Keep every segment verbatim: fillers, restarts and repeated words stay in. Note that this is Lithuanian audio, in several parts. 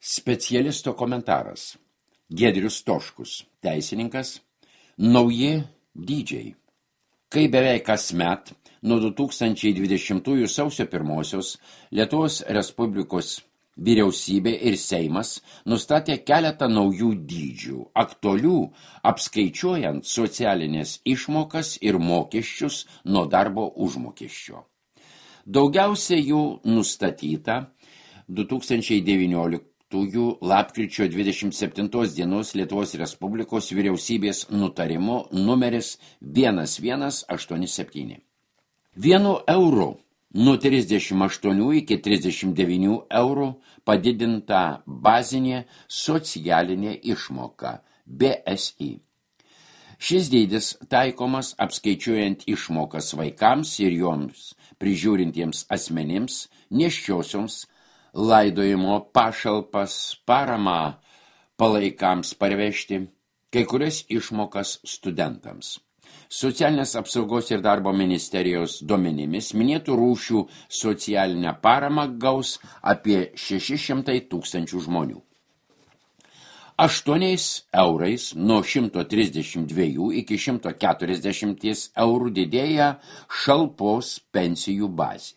Specialisto komentaras. Giedrius Toškus, teisininkas, nauji dydžiai. Kai beveik kasmet nuo du tūkstančiai dvidešimtųjų sausio pirmosios Lietuvos Respublikos vyriausybė ir Seimas nustatė keletą naujų dydžių, aktualių apskaičiuojant socialinės išmokas ir mokesčius nuo darbo užmokesčio. Daugiausiai jų nustatyta du tūkstančiai devynioliktųjų lapkričio dvidešimt septintos dienos Lietuvos Respublikos vyriausybės nutarimo numeris vienas vienas aštuoni septyni. Vienu euru nuo trisdešimt aštuonių iki trisdešimt devynių eurų padidinta bazinė socialinė išmoka B S I. Šis dydis taikomas apskaičiuojant išmokas vaikams ir joms prižiūrintiems asmenims, nėščiosioms, laidojimo pašalpas, paramą palaikams parvežti, kai kurias išmokas studentams. Socialinės apsaugos ir darbo ministerijos duomenimis minėtų rūšių socialinę paramą gaus apie šeši šimtai tūkstančių žmonių. Aštuoniais eurais nuo šimto trisdešimt dviejų iki šimto keturiasdešimt eurų didėja šalpos pensijų bazė.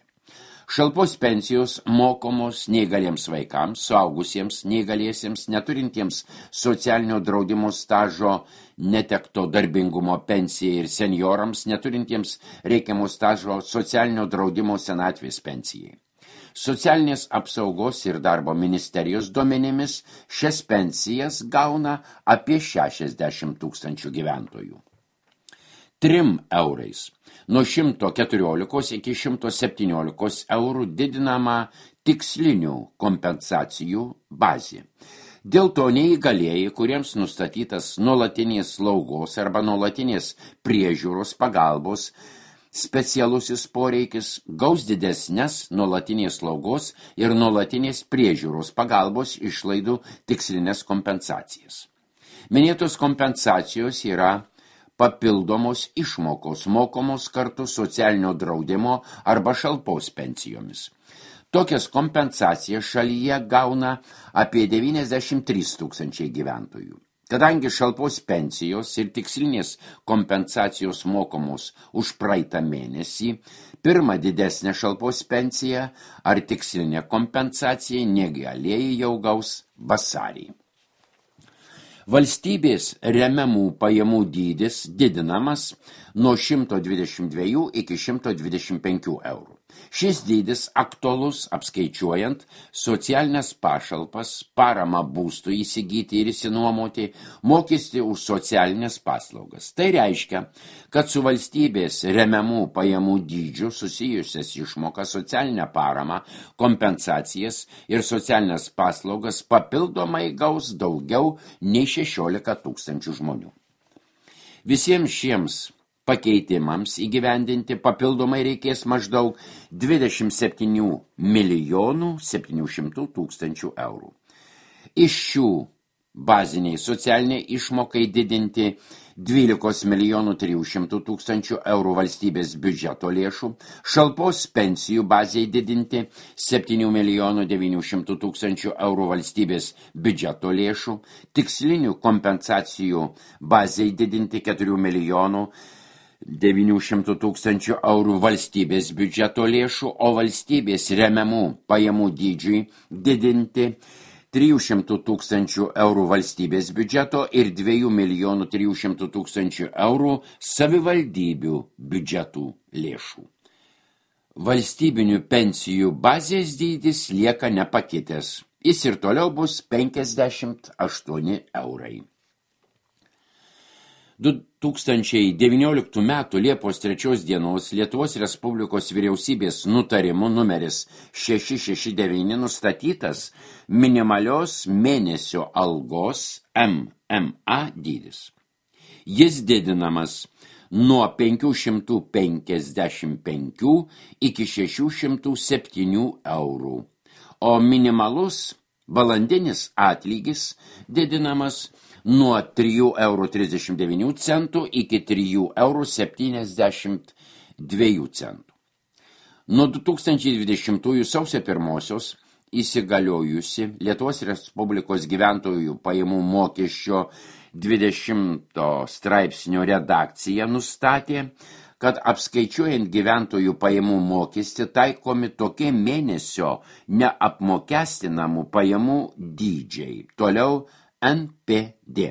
Šalpos pensijos mokomos neįgaliems vaikams, suaugusiems neįgaliesiems, neturintiems socialinio draudimo stažo netekto darbingumo pensijai ir seniorams, neturintiems reikiamo stažo socialinio draudimo senatvės pensijai. Socialinės apsaugos ir darbo ministerijos duomenimis šias pensijas gauna apie šešiasdešimt tūkstančių gyventojų. Trim eurais nuo šimto keturiolikos iki šimto septyniolikos eurų didinama tikslinių kompensacijų bazė. Dėl to neįgalieji, kuriems nustatytas nuolatinės slaugos arba nuolatinės priežiūros pagalbos specialusis poreikis, gaus didesnės nuolatinės slaugos ir nuolatinės priežiūros pagalbos išlaidų tikslinės kompensacijas. Minėtos kompensacijos yra papildomos išmokos mokomos kartu socialinio draudimo arba šalpos pensijomis. Tokias kompensacijas šalyje gauna apie devyniasdešimt trys tūkstančiai gyventojų. Kadangi šalpos pensijos ir tikslinės kompensacijos mokomos už praeitą mėnesį, pirmą didesnę šalpos pensiją ar tikslinę kompensaciją negalėjai jau gaus vasarį. Valstybės remiamų pajamų dydis didinamas nuo šimto dvidešimt dviejų iki šimto dvidešimt penkių eurų. Šis dydis aktualus apskaičiuojant socialinės pašalpas, paramą būstui įsigyti ir įsinuomoti, mokestį už socialinės paslaugas. Tai reiškia, kad su valstybės remiamų pajamų dydžiu susijusias išmokas, socialinę paramą, kompensacijas ir socialinės paslaugas papildomai gaus daugiau nei šešiolika tūkstančių žmonių. Visiems šiems pakeitimams įgyvendinti papildomai reikės maždaug dvidešimt septynių milijonų septynių šimtų tūkstančių eurų. Iš šių baziniai socialiniai išmokai didinti dvylika milijonų trijų šimtų tūkstančių eurų valstybės biudžeto lėšų, šalpos pensijų bazei didinti septynių milijonų devynių šimtų tūkstančių eurų valstybės biudžeto lėšų, tikslinių kompensacijų bazei didinti keturių milijonų devynių šimtų tūkstančių eurų valstybės biudžeto lėšų, o valstybės remiamų pajamų dydžiui didinti trijų šimtų tūkstančių eurų valstybės biudžeto ir dviejų milijonų trijų šimtų tūkstančių eurų savivaldybių biudžetų lėšų. Valstybinių pensijų bazės dydis lieka nepakitęs. Jis ir toliau bus penkiasdešimt aštuoni eurai. du tūkstančiai devynioliktų metų Liepos trečios dienos Lietuvos Respublikos vyriausybės nutarimu numeris šeši šeši devyni nustatytas minimalios mėnesio algos M M A dydis. Jis didinamas nuo penkių šimtų penkiasdešimt penkių iki šešių šimtų septynių eurų, o minimalus valandinis atlygis didinamas nuo trijų eurų trisdešimt devynių centų iki trijų eurų septyniasdešimt dviejų centų. Nuo du tūkstančiai dvidešimtųjų sausio pirmosios įsigaliojusi Lietuvos Respublikos gyventojų pajamų mokesčio dvidešimto straipsnio redakcija nustatė, kad apskaičiuojant gyventojų pajamų mokestį taikomi tokie mėnesio neapmokestinamų pajamų dydžiai. Toliau N P D.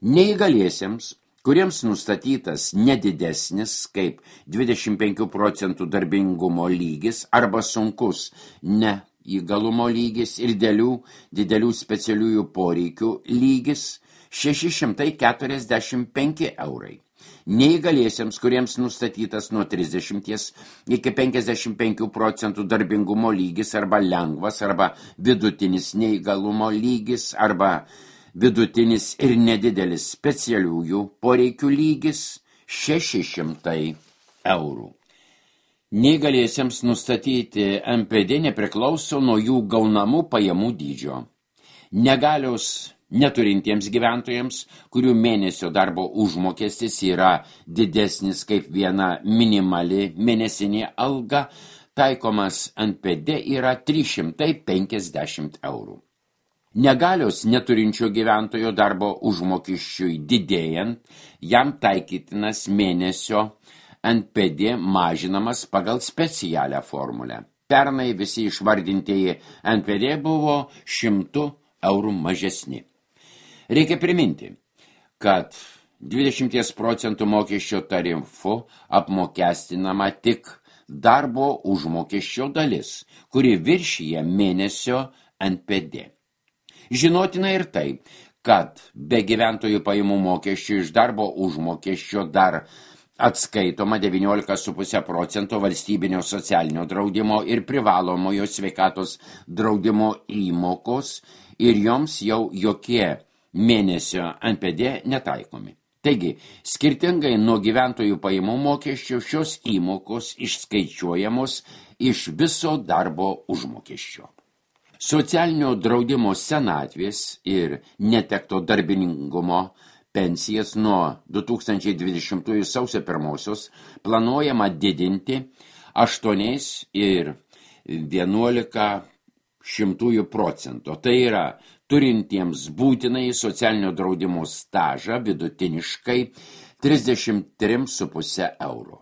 Neįgaliesiems, kuriems nustatytas nedidesnis kaip dvidešimt penkių procentų darbingumo lygis arba sunkus neįgalumo lygis ir dėlių, didelių specialiųjų poreikių lygis šeši šimtai keturiasdešimt penki eurai. Neįgaliesiems, kuriems nustatytas nuo trisdešimties iki penkiasdešimt penkių procentų darbingumo lygis arba lengvas arba vidutinis neįgalumo lygis arba vidutinis ir nedidelis specialiųjų poreikių lygis šeši šimtai eurų. Neįgaliesiems nustatyti N P D nepriklauso nuo jų gaunamų pajamų dydžio. Negalios neturintiems gyventojams, kurių mėnesio darbo užmokestis yra didesnis kaip viena minimali mėnesinė alga, taikomas N P D yra trys šimtai penkiasdešimt eurų. Negalios neturinčio gyventojo darbo užmokesčiui didėjant, jam taikytinas mėnesio N P D mažinamas pagal specialią formulę. Pernai visi išvardintieji N P D buvo šimtu eurų mažesni. Reikia priminti, kad dvidešimt procentų mokesčio tarifu apmokestinama tik darbo užmokesčio dalis, kuri viršyje mėnesio N P D. Žinotina ir tai, kad be gyventojų pajamų mokesčių iš darbo užmokesčio dar atskaitoma devyniolika su puse procento valstybinio socialinio draudimo ir privalomojo sveikatos draudimo įmokos ir joms jau jokie mėnesio N P D netaikomi. Taigi, skirtingai nuo gyventojų pajamų mokesčio, šios įmokos išskaičiuojamos iš viso darbo užmokesčio. Socialinio draudimo senatvės ir netekto darbiningumo pensijas nuo du tūkstančiai dvidešimtųjų sausio pirmosios planuojama didinti aštuoniais ir vienuolika šimtųjų procento. Tai yra turintiems būtinai socialinio draudimo stažą vidutiniškai trisdešimt tris su puse eurų.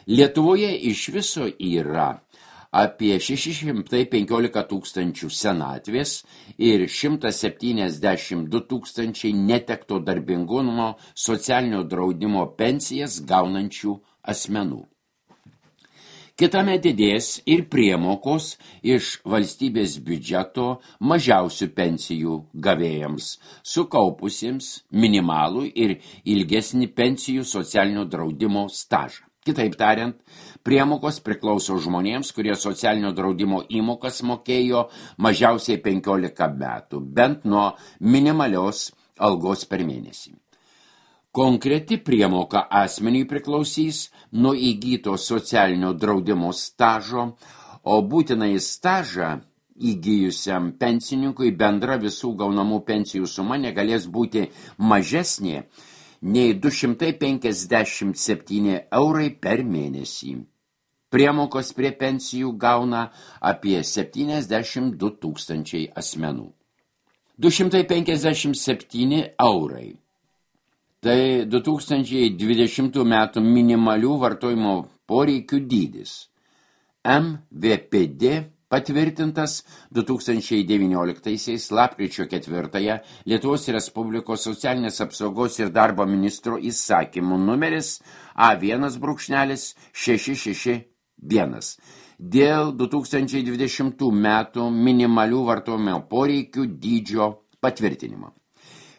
Lietuvoje iš viso yra apie šeši šimtai penkiolika tūkstančių senatvės ir šimtas septyniasdešimt du tūkstančiai netekto darbingumo socialinio draudimo pensijas gaunančių asmenų. Kitame didės ir priemokos iš valstybės biudžeto mažiausių pensijų gavėjams, sukaupusiems minimalų ir ilgesnį pensijų socialinio draudimo stažą. Kitaip tariant, priemokos priklauso žmonėms, kurie socialinio draudimo įmokas mokėjo mažiausiai penkiolika metų, bent nuo minimalios algos per mėnesį. Konkreti priemoka asmeniui priklausys nuo įgyto socialinio draudimo stažo, o būtinai stažą įgyjusiam pensininkui bendra visų gaunamų pensijų suma negalės būti mažesnė nei du šimtai penkiasdešimt septyni eurai per mėnesį. Priemokos prie pensijų gauna apie septyniasdešimt du tūkstančiai asmenų. du šimtai penkiasdešimt septyni eurai. Tai du tūkstančiai dvidešimtų metų minimalių vartojimo poreikių dydis. M V P D patvirtintas du tūkstančiai devynioliktaisiais lapkričio ketvirtąją Lietuvos Respublikos socialinės apsaugos ir darbo ministro įsakymų numeris A vienas šeši šeši vienas dėl du tūkstančiai dvidešimtų metų minimalių vartojimo poreikių dydžio patvirtinimo.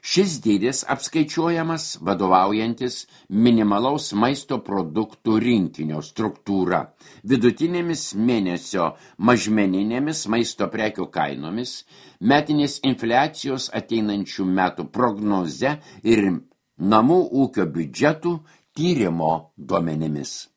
Šis dydis apskaičiuojamas vadovaujantis minimalaus maisto produktų rinkinio struktūra, vidutinėmis mėnesio mažmeninėmis maisto prekių kainomis, metinės infliacijos ateinančių metų prognoze ir namų ūkio biudžetų tyrimo duomenimis.